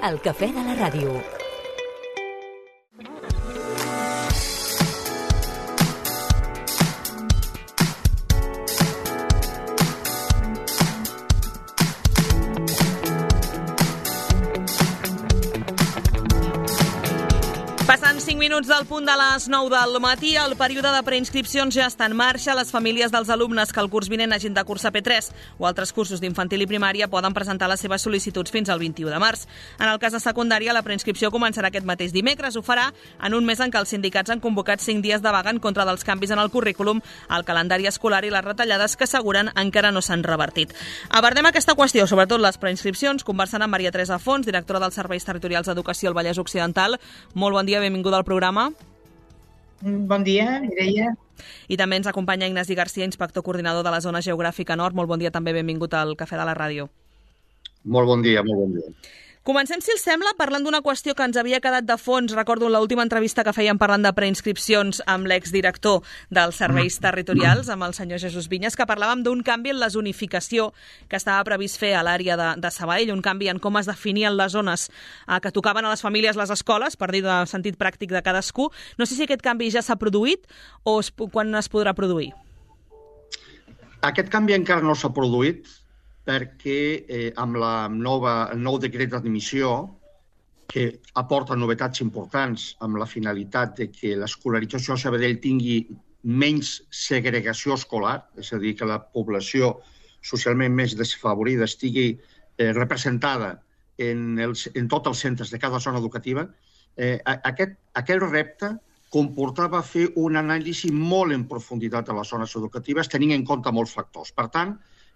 El cafè de la ràdio. Passant 5 minuts del punt de les 9 del matí, el període de preinscripcions ja està en marxa. Les famílies dels alumnes que el curs vinent hagin de cursar P3 o altres cursos d'infantil i primària poden presentar les seves sol·licituds fins al 21 de març. En el cas de secundària, la preinscripció començarà aquest mateix dimecres. Ho farà en un mes en què els sindicats han convocat 5 dies de vaga en contra dels canvis en el currículum, el calendari escolar i les retallades que asseguren encara no s'han revertit. Abordem aquesta qüestió, sobretot les preinscripcions, conversant amb Maria Teresa Fons, directora dels Serveis Territorials d'Educació al Vallès Occidental. Molt bon dia, benvinguda al programa. Bon dia, Mireia. I també ens acompanya Ignasi Garcia, inspector coordinador de la zona geogràfica nord. Molt bon dia també, benvingut al Cafè de la Ràdio. Molt bon dia, molt bon dia. Comencem, si els sembla, parlant d'una qüestió que ens havia quedat de fons. Recordo l'última entrevista que fèiem parlant de preinscripcions amb l'exdirector dels serveis territorials, amb el senyor Jesús Vinyes, que parlàvem d'un canvi en la zonificació que estava previst fer a l'àrea de Sabadell, un canvi en com es definien les zones que tocaven a les famílies les escoles, per dir de sentit pràctic de cadascú. No sé si aquest canvi ja s'ha produït o quan es podrà produir. Aquest canvi encara no s'ha produït, perquè amb el nou decret d'admissió, que aporta novetats importants amb la finalitat de que l'escolarització a Sabadell tingui menys segregació escolar, és a dir, que la població socialment més desfavorida estigui representada en tots els centres de cada zona educativa, aquest repte comportava fer un anàlisi molt en profunditat de les zones educatives, tenint en compte molts factors. Per tant,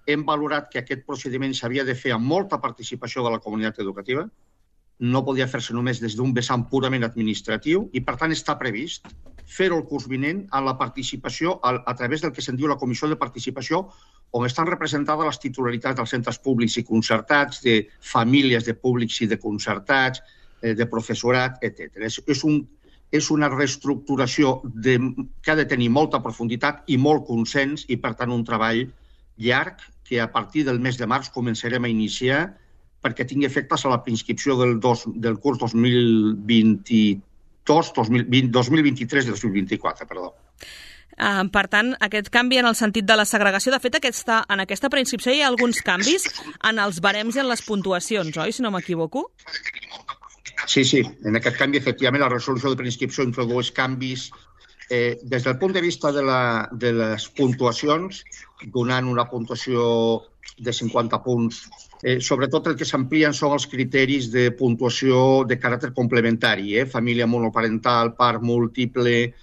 hem valorat que aquest procediment s'havia de fer amb molta participació de la comunitat educativa, no podia fer-se només des d'un vessant purament administratiu i, per tant, està previst fer-ho el curs vinent amb la participació a través del que se'n diu la Comissió de Participació, on estan representades les titularitats dels centres públics i concertats, de famílies de públics i de concertats, de professorat, etc. És una reestructuració que ha de tenir molta profunditat i molt consens i, per tant, un treball llarg que a partir del mes de març començarem a iniciar perquè tingui efectes a la preinscripció del curs 2023 i 2024, perdó. Per tant, aquest canvi en el sentit de la segregació, de fet, en aquesta preinscripció hi ha alguns canvis en els barems i en les puntuacions, oi, si no m'equivoco? Sí, en aquest canvi, efectivament, la resolució de preinscripció introdueix canvis des del punt de vista de les puntuacions, donant una puntuació de 50 punts. Sobretot el que s'amplien són els criteris de puntuació de caràcter complementari, família monoparental, part múltiple.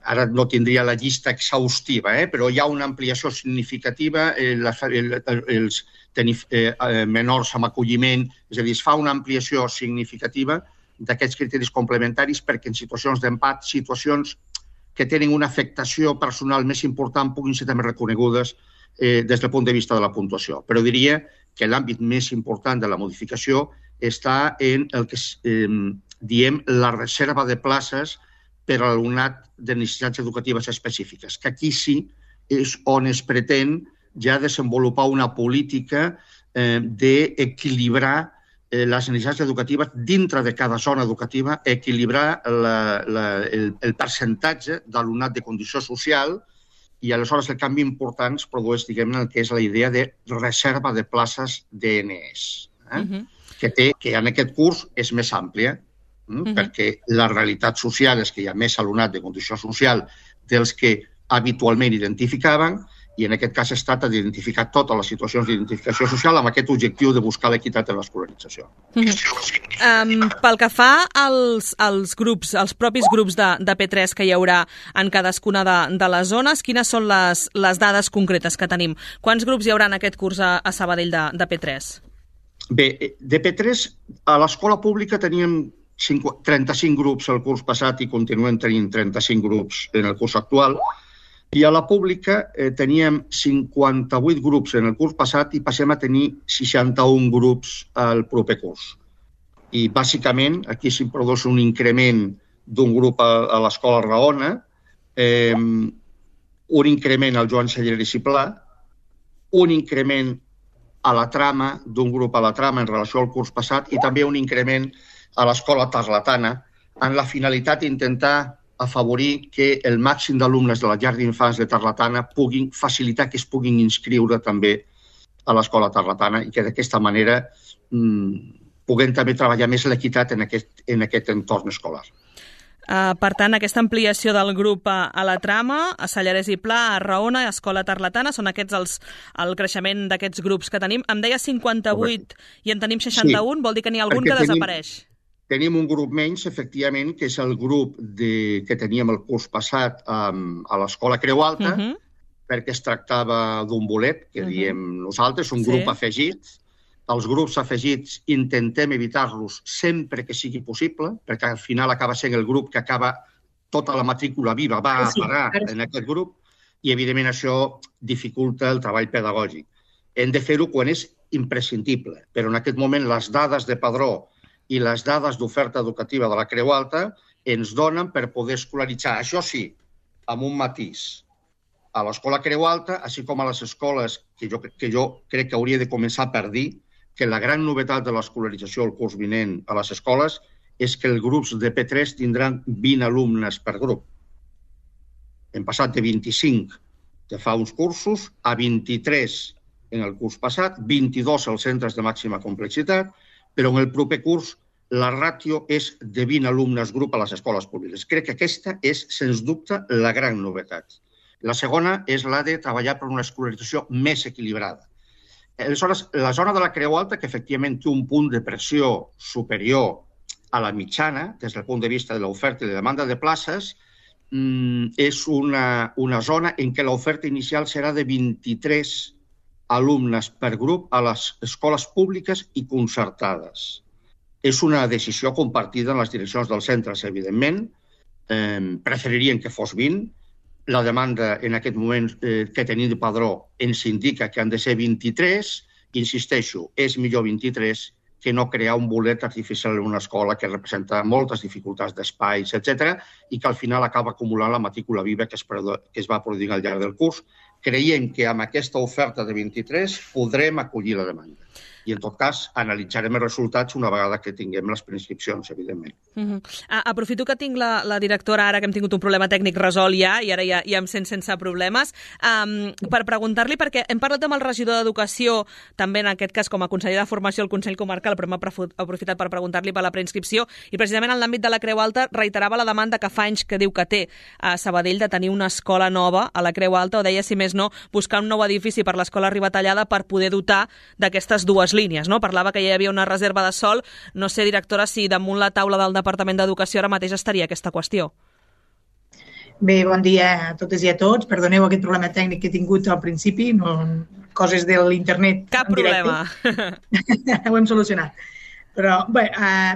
Ara no tindria la llista exhaustiva, però hi ha una ampliació significativa, els menors amb acolliment, és a dir, es fa una ampliació significativa d'aquests criteris complementaris perquè en situacions d'empat, situacions que tenen una afectació personal més important puguin ser també reconegudes des del punt de vista de la puntuació. Però diria que l'àmbit més important de la modificació està en el que diem la reserva de places per a l'alumnat de necessitats educatives específiques, que aquí sí és on es pretén ja desenvolupar una política d'equilibrar les necessitats educatives dintre de cada zona educativa, equilibrar el percentatge d'alumnat de condició social i aleshores el canvi important es produeix, diguem-ne, el que és la idea de reserva de places d'ENES, que en aquest curs és més àmplia, perquè la realitat social és que hi ha més alumnat de condició social dels que habitualment identificaven, i en aquest cas es tracta d'identificar totes les situacions d'identificació social amb aquest objectiu de buscar l'equitat en l'escolarització. Pel que fa als grups, als propis grups de P3 que hi haurà en cadascuna de les zones, quines són les dades concretes que tenim? Quants grups hi haurà en aquest curs a Sabadell de P3? Bé, de P3 a l'escola pública teníem 35 grups el curs passat i continuem tenint 35 grups en el curs actual. I a la pública teníem 58 grups en el curs passat i passem a tenir 61 grups al proper curs. I bàsicament aquí s'hi produeix un increment d'un grup a l'escola Raona, un increment al Joan Cellera i Ciplà, un increment a la trama, d'un grup a la trama en relació al curs passat, i també un increment a l'escola tarlatana, amb la finalitat d'intentar afavorir que el màxim d'alumnes de la llar d'infants de Tarlatana puguin facilitar que es puguin inscriure també a l'escola tarlatana i que d'aquesta manera puguem també treballar més l'equitat en aquest entorn escolar. Per tant, aquesta ampliació del grup a la trama, a Sallarès i Pla, a Raona, a Escola Tarlatana, són aquests el creixement d'aquests grups que tenim. Em deia 58 i en tenim 61, vol dir que n'hi ha algun que desapareix. Tenim un grup menys, efectivament, que és el grup que teníem el curs passat a l'Escola Creu Alta, perquè es tractava d'un bolet, que diem nosaltres, un grup afegit. Els grups afegits intentem evitar-los sempre que sigui possible, perquè al final acaba sent el grup que acaba tota la matrícula viva, va a parar en aquest grup, i evidentment això dificulta el treball pedagògic. Hem de fer-ho quan és imprescindible, però en aquest moment les dades de padró i les dades d'oferta educativa de la Creu Alta ens donen per poder escolaritzar, això sí, amb un matís, a l'Escola Creu Alta, així com a les escoles que jo crec que hauria de començar per dir que la gran novetat de l'escolarització al curs vinent a les escoles és que els grups de P3 tindran 20 alumnes per grup. Hem passat de 25 de fa uns cursos a 23 en el curs passat, 22 als centres de màxima complexitat, però en el proper curs la ràtio és de 20 alumnes grup a les escoles públiques. Crec que aquesta és, sens dubte, la gran novetat. La segona és la de treballar per una escolarització més equilibrada. Aleshores, la zona de la Creu Alta, que efectivament té un punt de pressió superior a la mitjana, des del punt de vista de l'oferta i la demanda de places, és una zona en què l'oferta inicial serà de 23 alumnes per grup a les escoles públiques i concertades. És una decisió compartida en les direccions dels centres, evidentment. Preferirien que fos 20. La demanda en aquest moment que tenim de padró ens indica que han de ser 23. Insisteixo, és millor 23 que no crear un bolet artificial en una escola que representa moltes dificultats d'espais, etc., i que al final acaba acumulant la matrícula viva que es va produir al llarg del curs. Creiem que amb aquesta oferta de 23 podrem acollir la demanda. I, en tot cas, analitzarem els resultats una vegada que tinguem les preinscripcions, evidentment. Aprofito que tinc la directora ara, que hem tingut un problema tècnic resolt ja, i ara ja em sent sense problemes, per preguntar-li, perquè hem parlat amb el regidor d'Educació, també en aquest cas com a conseller de Formació al Consell Comarcal, però hem aprofitat per preguntar-li per la preinscripció, i precisament en l'àmbit de la Creu Alta reiterava la demanda que fa anys que diu que té a Sabadell de tenir una escola nova a la Creu Alta, o deia, si més no, buscar un nou edifici per l'escola Ribatallada per poder dotar d'aquestes dues línies, no? Parlava que ja hi havia una reserva de sòl. No sé, directora, si damunt la taula del Departament d'Educació ara mateix estaria aquesta qüestió. Bé, bon dia a totes i a tots. Perdoneu aquest problema tècnic que he tingut al principi, coses de l'internet. Cap problema. Ho hem solucionat. Però, bé,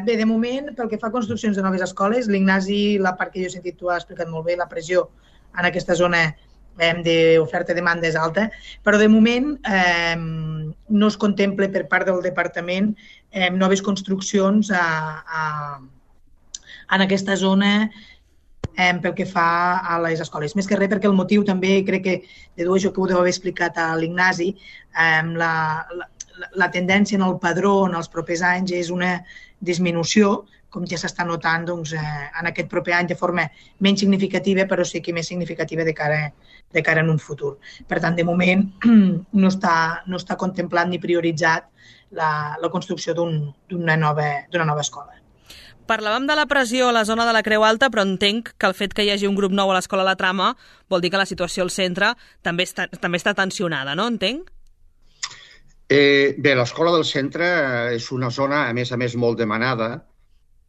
de moment, pel que fa a construccions de noves escoles, l'Ignasi, la part que jo he sentit, tu has explicat molt bé, la pressió en aquesta zona d'oferta-demanda és alta, però de moment no es contempla per part del departament noves construccions en aquesta zona pel que fa a les escoles. Més que res perquè el motiu també, crec que dedueixo que ho deu haver explicat a l'Ignasi, la tendència en el padró en els propers anys és una disminució, com ja s'està notant en aquest proper any de forma menys significativa, però sí que més significativa de cara en un futur. Per tant, de moment no està contemplat ni prioritzat la construcció d'una nova escola. Parlàvem de la pressió a la zona de la Creu Alta, però entenc que el fet que hi hagi un grup nou a l'escola La Trama vol dir que la situació al centre també està tensionada, no? Entenc? Bé, l'escola del centre és una zona, a més, molt demanada,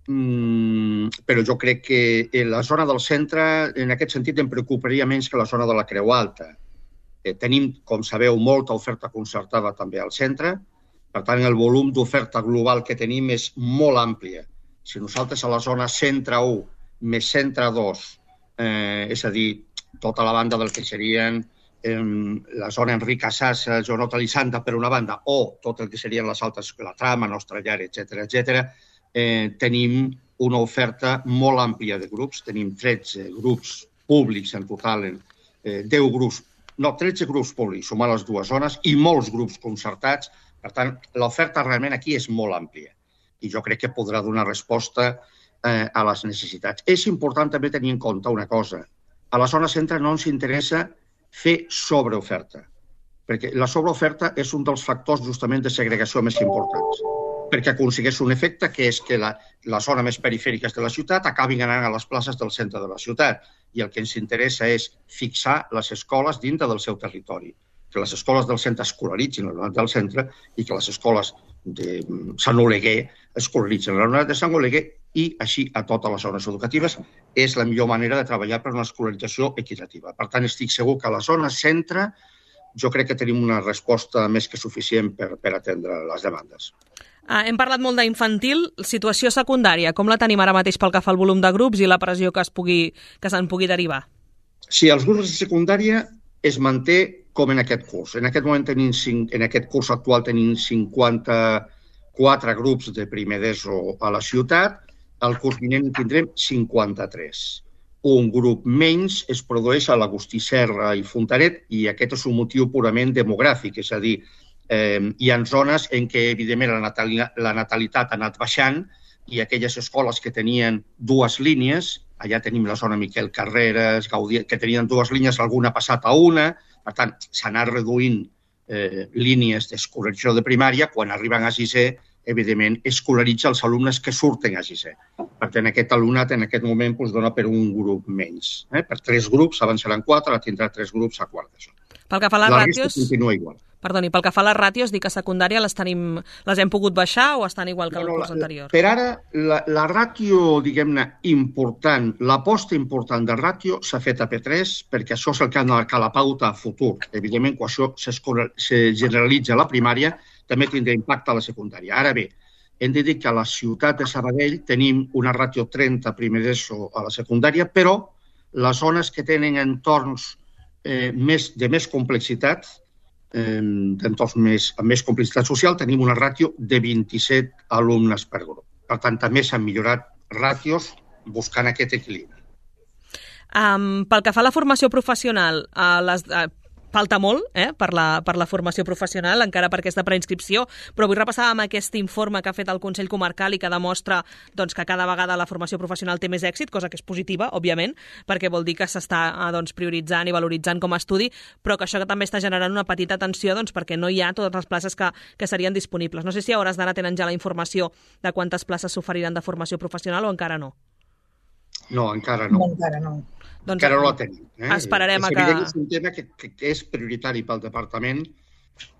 però jo crec que la zona del centre, en aquest sentit, em preocuparia menys que la zona de la Creu Alta. Tenim, com sabeu, molta oferta concertada també al centre, per tant, el volum d'oferta global que tenim és molt àmplia. Si nosaltres a la zona centre 1 més centre 2, és a dir, tota la banda del que serien la zona Enric Casassa, zona Talisanda, per una banda, o tot el que serien les altres, la Trama, Nostra Llar, etc., tenim una oferta molt àmplia de grups. Tenim 13 grups públics en total, 13 grups públics, sumant les dues zones, i molts grups concertats Per tant, l'oferta realment aquí és molt àmplia i jo crec que podrà donar resposta a les necessitats. És important també tenir en compte una cosa. A la zona centre no ens interessa fer sobreoferta, perquè la sobreoferta és un dels factors justament de segregació més importants, perquè aconsegueix un efecte que és que la zona més perifèrica de la ciutat acabin anant a les places del centre de la ciutat i el que ens interessa és fixar les escoles dintre del seu territori, que les escoles del centre escolaritzin l'alumnat del centre i que les escoles de Sant Oleguer escolaritzin l'alumnat de Sant Oleguer i així a totes les zones educatives és la millor manera de treballar per una escolarització equitativa. Per tant, estic segur que a la zona centre jo crec que tenim una resposta més que suficient per atendre les demandes. Hem parlat molt d'infantil. Situació secundària, com la tenim ara mateix pel que fa al volum de grups i la pressió que se'n pugui derivar? Sí, els grups de secundària es manté com en aquest curs. En aquest moment en aquest curs actual tenim 54 grups de primer d'ESO a la ciutat. Al curs vinent tindrem 53. Un grup menys es produeix a l'Agustí Serra i Fontanet i aquest és un motiu purament demogràfic, és a dir, hi ha zones en què, evidentment, la natalitat ha anat baixant i aquelles escoles que tenien dues línies, allà tenim la zona Miquel Carreras, Gaudí, que tenien dues línies, alguna ha passat a una, per tant, s'ha anat reduint línies d'escolarització de primària, quan arriben a sisè, evidentment, escolaritza els alumnes que surten a sisè. Per tant, aquest alumnat en aquest moment dona per un grup menys. Per 3 grups, abans eren 4, ara tindrà 3 grups a quart d'ESO. Pel que fa a les ràtios... La resta continua igual. Perdoni, pel que fa a les ràtios, dic que a secundària les hem pogut baixar o estan igual que el curs anterior? Per ara, la ràtio, diguem-ne, important, l'aposta important de ràtio s'ha fet a P3 perquè això és el que ha de marcar la pauta a futur. Evidentment, quan això se generalitza a la primària, també tindrà impacte a la secundària. Ara bé, hem de dir que a la ciutat de Sabadell tenim una ràtio 30 primer d'ESO a la secundària, però les zones que tenen entorns de més complexitat, d'entorns amb més complexitat social, tenim una ràtio de 27 alumnes per grup. Per tant, també s'han millorat ràtios buscant aquest equilibri. Pel que fa a la formació professional, falta molt per la formació professional, encara per aquesta preinscripció, però vull repassar amb aquest informe que ha fet el Consell Comarcal i que demostra que cada vegada la formació professional té més èxit, cosa que és positiva, òbviament, perquè vol dir que s'està prioritzant i valoritzant com a estudi, però que això també està generant una petita tensió perquè no hi ha totes les places que serien disponibles. No sé si a hores d'ara tenen ja la informació de quantes places s'oferiran de formació professional o encara no. No, encara no. Encara no. Encara no la tenim. Esperarem a que... És un tema que és prioritari pel departament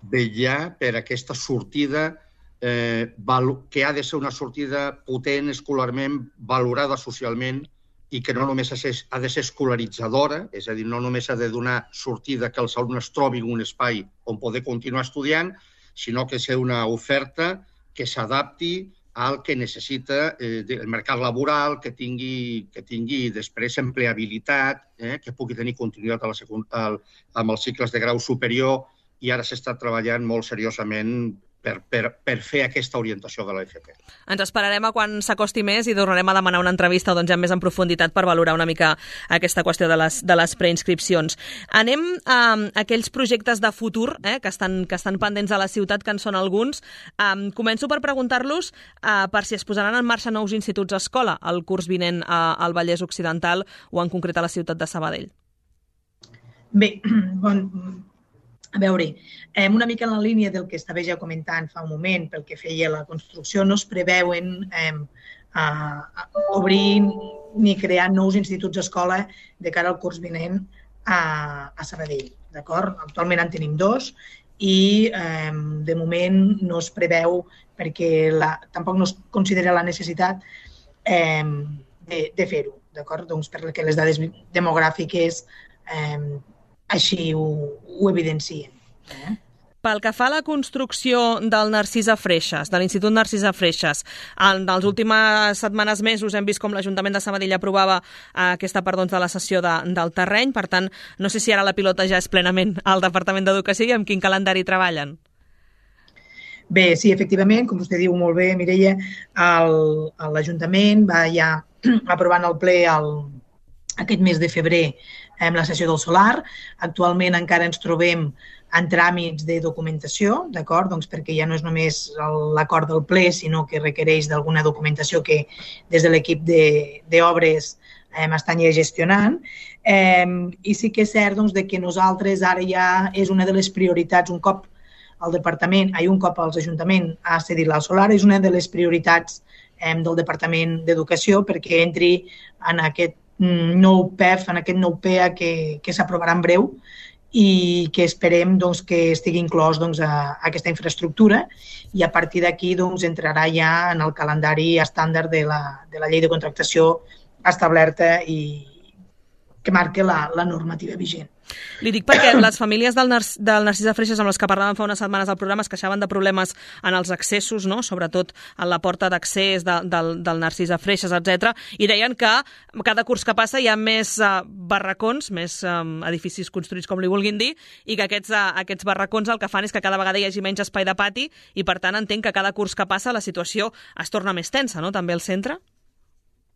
vetllar per aquesta sortida que ha de ser una sortida potent escolarment, valorada socialment i que no només ha de ser escolaritzadora, és a dir, no només ha de donar sortida que els alumnes trobin un espai on poder continuar estudiant, sinó que ser una oferta que s'adapti al que necessita el mercat laboral, que tingui després empleabilitat, que pugui tenir continuïtat amb els cicles de grau superior i ara s'està treballant molt seriosament per fer aquesta orientació de l'FP. Ens esperarem a quan s'acosti més i tornarem a demanar una entrevista ja més en profunditat per valorar una mica aquesta qüestió de les preinscripcions. Anem a aquells projectes de futur que estan pendents a la ciutat, que en són alguns. Començo per preguntar-los per si es posaran en marxa nous instituts escola el curs vinent al Vallès Occidental o en concret a la ciutat de Sabadell. Bé, a veure, una mica en la línia del que estava ja comentant fa un moment pel que feia la construcció, no es preveuen obrir ni crear nous instituts d'escola de cara al curs vinent a Sabadell. D'acord? Actualment en tenim 2 i de moment no es preveu perquè tampoc no es considera la necessitat de fer-ho. D'acord? Doncs perquè les dades demogràfiques així ho evidencien. Pel que fa a la construcció del Narcisa Freixas, de l'Institut Narcisa Freixas, en les últimes setmanes, mesos, hem vist com l'Ajuntament de Sabadell aprovava aquesta part de la cessió del terreny. Per tant, no sé si ara la pilota ja és plenament al Departament d'Educació i amb quin calendari treballen. Bé, sí, efectivament, com vostè diu molt bé, Mireia, l'Ajuntament va ja aprovant el ple aquest mes de febrer la sessió del solar. Actualment encara ens trobem en tràmits de documentació, d'acord? Doncs perquè ja no és només l'acord del ple, sinó que requereix d'alguna documentació que des de l'equip d'obres estan ja gestionant. I sí que és cert doncs, que nosaltres ara ja és una de les prioritats, un cop els Ajuntament ha cedit el solar, és una de les prioritats del Departament d'Educació perquè entri en aquest nou PEF, en aquest nou PEA que s'aprovarà en breu i que esperem doncs, que estigui inclòs doncs, a aquesta infraestructura i a partir d'aquí doncs, entrarà ja en el calendari estàndard de la llei de contractació establerta i que marca la normativa vigent. Li dic perquè les famílies del Narcís de Freixes amb les que parlàvem fa unes setmanes al programa es queixaven de problemes en els accessos, no? Sobretot en la porta d'accés del Narcís de Freixes, etc. I deien que cada curs que passa hi ha més barracons, més edificis construïts com li vulguin dir, i que aquests barracons el que fan és que cada vegada hi hagi menys espai de pati i per tant entenc que cada curs que passa la situació es torna més tensa, no? També al centre?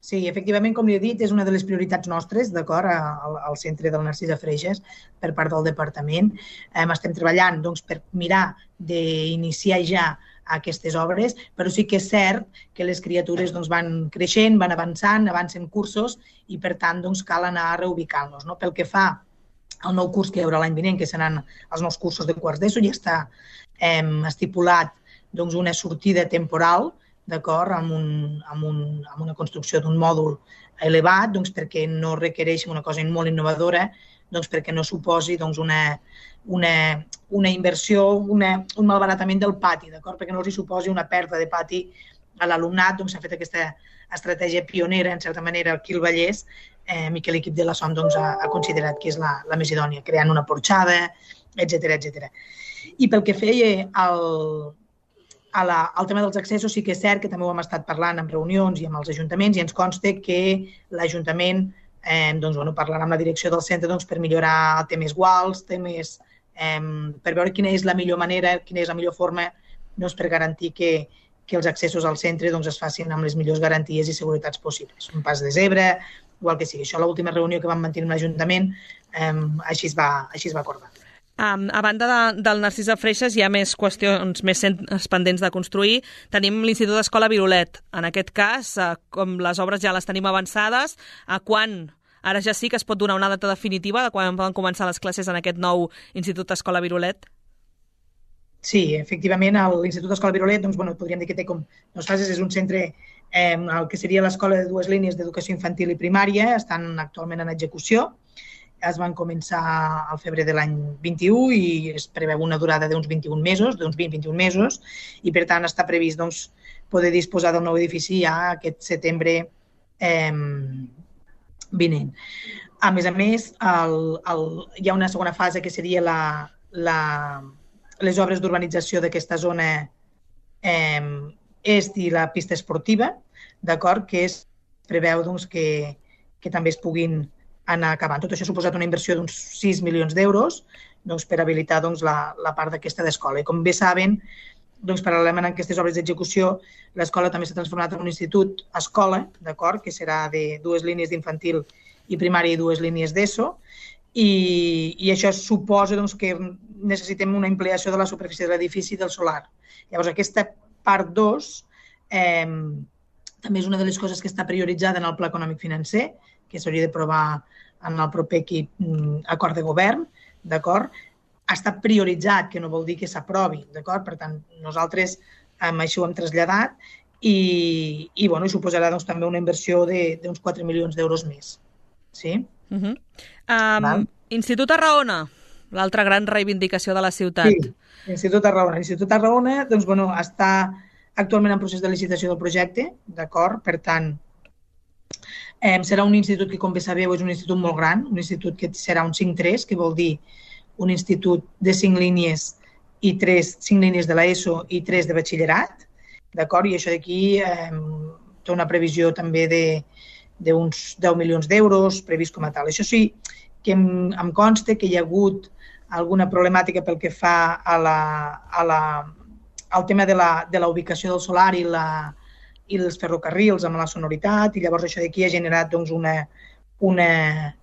Sí, efectivament, com li he dit, és una de les prioritats nostres, d'acord, al centre del Narcís de Freixes per part del departament. Estem treballant doncs, per mirar d'iniciar ja aquestes obres, però sí que és cert que les criatures doncs, van creixent, van avançant, avancen cursos i, per tant, doncs, cal anar reubicant-los. No? Pel que fa al nou curs que hi haurà l'any vinent, que seran els nous cursos de quarts d'ESO, ja està estipulat doncs, una sortida temporal, d'acord, amb una construcció d'un mòdul elevat, doncs, perquè no requereix una cosa molt innovadora, doncs, perquè no suposi doncs, una inversió, un malbaratament del pati, d'acord, perquè no els suposi una pèrdua de pati a l'alumnat. Doncs, s'ha fet aquesta estratègia pionera, en certa manera, aquí al Vallès, i que l'equip de la SOM doncs, ha considerat que és la més idònia, creant una porxada, etc. I pel que feia al tema dels accessos, sí que és cert que també ho hem estat parlant en reunions i amb els ajuntaments i ens consta que l'Ajuntament parlarà amb la direcció del centre per millorar temes guals, per veure quina és la millor manera, quina és la millor forma per garantir que els accessos al centre es facin amb les millors garanties i seguretats possibles. Un pas de zebra o el que sigui. Això a l'última reunió que vam mantenir amb l'Ajuntament així es va acordar. A banda del Narcís de Freixes hi ha més qüestions, més centres pendents de construir. Tenim l'Institut d'Escola Virolet. En aquest cas, com les obres ja les tenim avançades, a quan? Ara ja sí que es pot donar una data definitiva de quan poden començar les classes en aquest nou Institut d'Escola Virolet? Sí, efectivament, l'Institut d'Escola Virolet, podríem dir que té com dues fases. És un centre, el que seria l'escola de dues línies d'educació infantil i primària, estan actualment en execució. Es van començar al febrer de l'any 21 i es preveu una durada d'uns 21 mesos, i per tant està previst poder disposar del nou edifici ja aquest setembre vinent. A més, hi ha una segona fase que seria les obres d'urbanització d'aquesta zona est i la pista esportiva, d'acord, que es preveu que també es puguin anar acabant. Tot això ha suposat una inversió d'uns 6 milions d'euros per habilitar la part d'aquesta d'escola. I com bé saben, paral·lelament a aquestes obres d'execució, l'escola també s'ha transformat en un institut escola, d'acord, que serà de dues línies d'infantil i primària i dues línies d'ESO, i això suposa que necessitem una ampliació de la superfície de l'edifici i del solar. Llavors, aquesta part 2 també és una de les coses que està prioritzada en el Pla Econòmic Financer, que s'hauria d'aprovar en el proper acord de govern, d'acord? Està prioritzat, que no vol dir que s'aprovi, d'acord? Per tant, nosaltres això ho hem traslladat i suposarà també una inversió d'uns 4 milions d'euros més. Sí? Institut Tarragona, l'altra gran reivindicació de la ciutat. Sí, Institut Tarragona. L'Institut Tarragona està actualment en procés de licitació del projecte, d'acord? Per tant, serà un institut que, com bé sabeu, és un institut molt gran, un institut que serà un 5-3, que vol dir un institut de 5 línies i 5 línies de l'ESO i 3 de batxillerat, d'acord? I això d'aquí té una previsió també d'uns 10 milions d'euros previst com a tal. Això sí, que em consta que hi ha hagut alguna problemàtica pel que fa al tema de la ubicació del solar i els ferrocarrils amb la sonoritat, i llavors això d'aquí ha generat una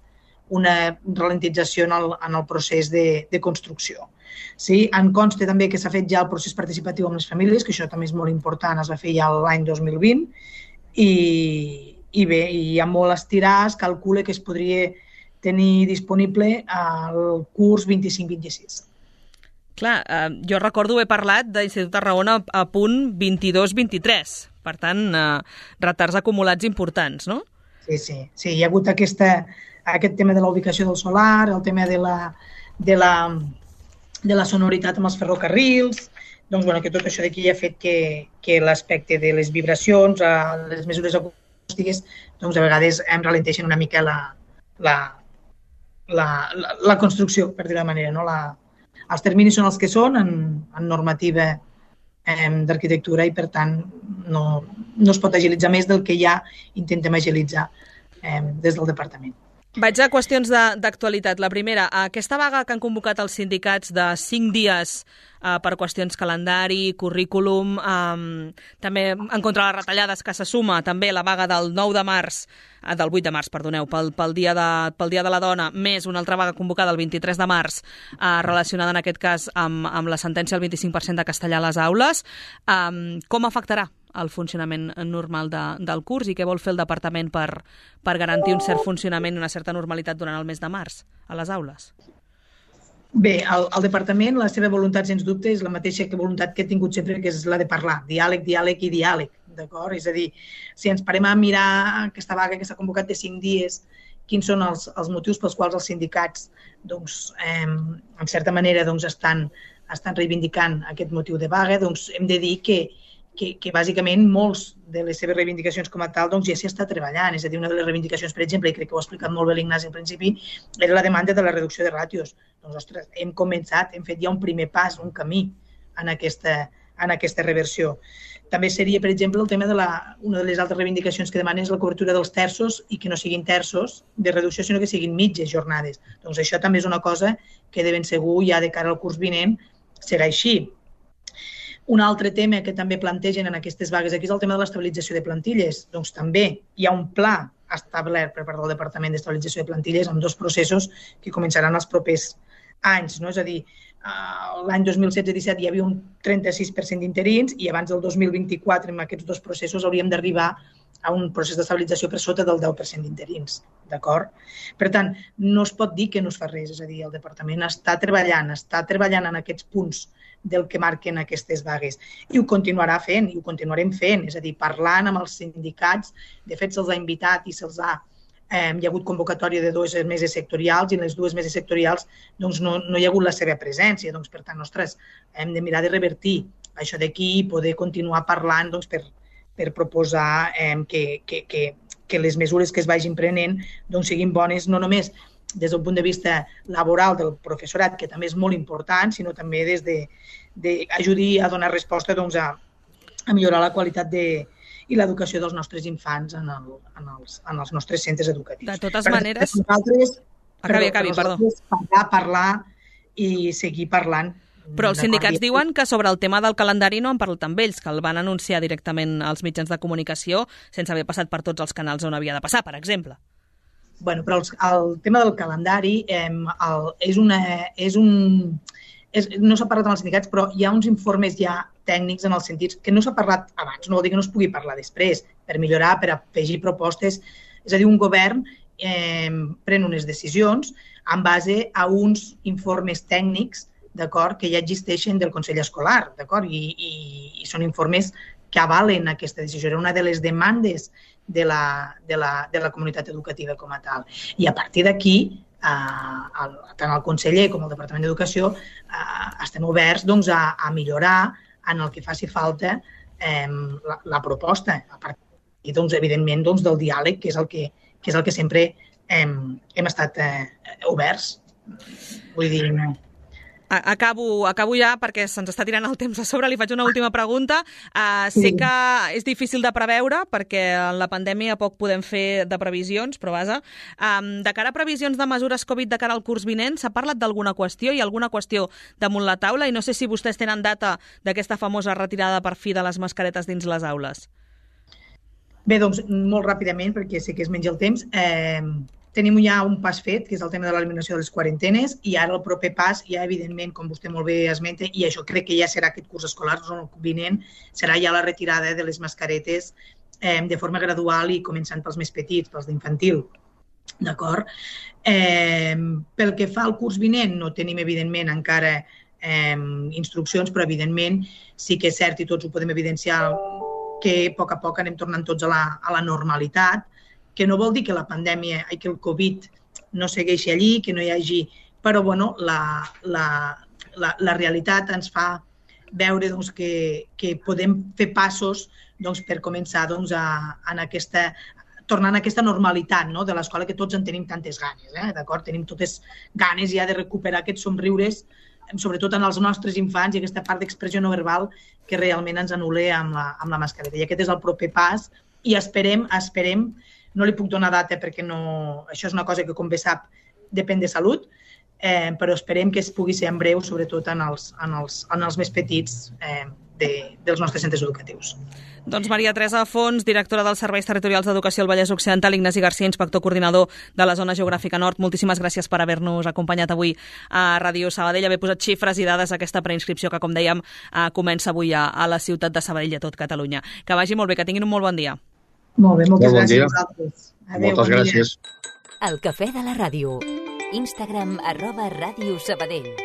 ralentització en el procés de construcció. Sí, em consta també que s'ha fet ja el procés participatiu amb les famílies, que això també és molt important, es va fer ja l'any 2020, i bé, hi ha molt estirar, es calcula que es podria tenir disponible al curs 25-26. Clar, jo recordo haver parlat d'Institut Tarragona a punt 22-23, per tant, retards acumulats importants, no? Sí, hi ha hagut aquest tema de la ubicació del solar, el tema de la sonoritat amb els ferrocarrils, doncs, bueno, que tot això d'aquí ha fet que l'aspecte de les vibracions, les mesures acústiques, doncs, a vegades em ralenteixen una mica la construcció, per dir-ho de manera, no? Els terminis són els que són en normativa d'arquitectura i, per tant, no es pot agilitzar més del que ja intentem agilitzar des del departament. Vaig a qüestions d'actualitat. La primera, aquesta vaga que han convocat els sindicats de 5 dies per qüestions calendari, currículum, també en contra de les retallades que se suma també la vaga del 8 de març, perdoneu, pel dia de la dona, més una altra vaga convocada el 23 de març, relacionada en aquest cas amb la sentència del 25% de castellà a les aules. Com afectarà el funcionament normal del curs i què vol fer el departament per garantir un cert funcionament i una certa normalitat durant el mes de març a les aules? Bé, el departament, la seva voluntat, sens dubte, és la mateixa voluntat que he tingut sempre, que és la de parlar. Diàleg, diàleg i diàleg, d'acord? És a dir, si ens parem a mirar aquesta vaga que s'ha convocat de 5 dies, quins són els motius pels quals els sindicats, doncs, en certa manera, doncs, estan reivindicant aquest motiu de vaga, doncs hem de dir que bàsicament molts de les seves reivindicacions com a tal doncs ja s'hi està treballant. És a dir, una de les reivindicacions, per exemple, i crec que ho ha explicat molt bé l'Ignasi al principi, era la demanda de la reducció de ràtios. Doncs, ostres, hem començat, hem fet ja un primer pas, un camí en aquesta reversió. També seria, per exemple, el tema una de les altres reivindicacions que demanen és la cobertura dels terços i que no siguin terços de reducció, sinó que siguin mitges jornades. Doncs això també és una cosa que de ben segur ja de cara al curs vinent serà així. Un altre tema que també plantegen en aquestes vagues aquí és el tema de l'estabilització de plantilles. Doncs també hi ha un pla establert per part del Departament d'Estabilització de Plantilles amb 2 processos que començaran els propers anys. No? És a dir, l'any 2016-17 hi havia un 36% d'interins i abans del 2024, amb aquests 2 processos, hauríem d'arribar a un procés d'estabilització per sota del 10% d'interins. D'acord? Per tant, no es pot dir que no es fa res. És a dir, el departament està treballant en aquests punts del que marquen aquestes vagues. I ho continuarà fent, i ho continuarem fent, és a dir, parlant amb els sindicats. De fet, se'ls ha invitat i hi ha hagut convocatòria de 2 meses sectorials i en les 2 meses sectorials doncs, no hi ha hagut la seva presència. Doncs, per tant, ostres, hem de mirar de revertir això d'aquí i poder continuar parlant doncs, per proposar que les mesures que es vagin prenent doncs, siguin bones no només des del punt de vista laboral del professorat, que també és molt important, sinó també des d'ajudar a donar resposta doncs, a millorar la qualitat i l'educació dels nostres infants en els nostres centres educatius. De totes maneres... Acabi, parlar i seguir parlant. Però els sindicats diuen que sobre el tema del calendari no han parlat amb ells, que el van anunciar directament als mitjans de comunicació sense haver passat per tots els canals on havia de passar, per exemple. Bueno, però el tema del calendari no s'ha parlat amb els sindicats, però hi ha uns informes ja tècnics en els sentits que no s'ha parlat abans, no vol dir que no es pugui parlar després, per millorar, per afegir propostes. És a dir, un govern pren unes decisions en base a uns informes tècnics, d'acord, que ja existeixen del Consell Escolar, d'acord, i són informes que avalen aquesta decisió. Era una de les demandes de la comunitat educativa com a tal. I a partir d'aquí, tant el conseller com el Departament d'Educació estem oberts doncs, a millorar en el que faci falta la proposta. A partir, doncs, evidentment, doncs, del diàleg, que és el que sempre hem estat oberts. Vull dir... Acabo ja perquè se'ns està tirant el temps a sobre. Li faig una última pregunta. Sé que és difícil de preveure perquè en la pandèmia poc podem fer de previsions, però vaja. De cara a previsions de mesures Covid de cara al curs vinent, s'ha parlat d'alguna qüestió? Hi ha alguna qüestió damunt la taula? I no sé si vostès tenen data d'aquesta famosa retirada per fi de les mascaretes dins les aules. Bé, doncs, molt ràpidament, perquè sé que es menja el temps. tenim ja un pas fet, que és el tema de l'eliminació de les quarantenes, i ara el proper pas, ja evidentment, com vostè molt bé esmenta, i això crec que ja serà aquest curs escolar, el vinent, serà ja la retirada de les mascaretes de forma gradual i començant pels més petits, pels d'infantil. D'acord? Pel que fa al curs vinent, no tenim, evidentment, encara instruccions, però, evidentment, sí que és cert i tots ho podem evidenciar que a poc anem tornant tots a la normalitat, que no vol dir que la pandèmia i que el Covid no segueixi allí, que no hi hagi... Però, bueno, la realitat ens fa veure que podem fer passos per començar a tornar a aquesta normalitat, de l'escola que tots en tenim tantes ganes. D'acord? Tenim totes ganes ja de recuperar aquests somriures, sobretot en els nostres infants, i aquesta part d'expressió no verbal que realment ens anul·la amb la mascareta. I aquest és el proper pas i esperem, no li puc donar data perquè això és una cosa que, com bé sap, depèn de salut, però esperem que es pugui ser en breu, sobretot en els més petits dels nostres centres educatius. Doncs Maria Teresa Fons, directora dels Serveis Territorials d'Educació al Vallès Occidental, Ignasi Garcia, inspector coordinador de la Zona Geogràfica Nord. Moltíssimes gràcies per haver-nos acompanyat avui a Ràdio Sabadell, haver posat xifres i dades a aquesta preinscripció que, com dèiem, comença avui a la ciutat de Sabadell i a tot Catalunya. Que vagi molt bé, que tinguin un molt bon dia. Molt bé, moltes gràcies a vosaltres. Moltes gràcies. El Cafè de la Ràdio. Instagram @Ràdio Sabadell.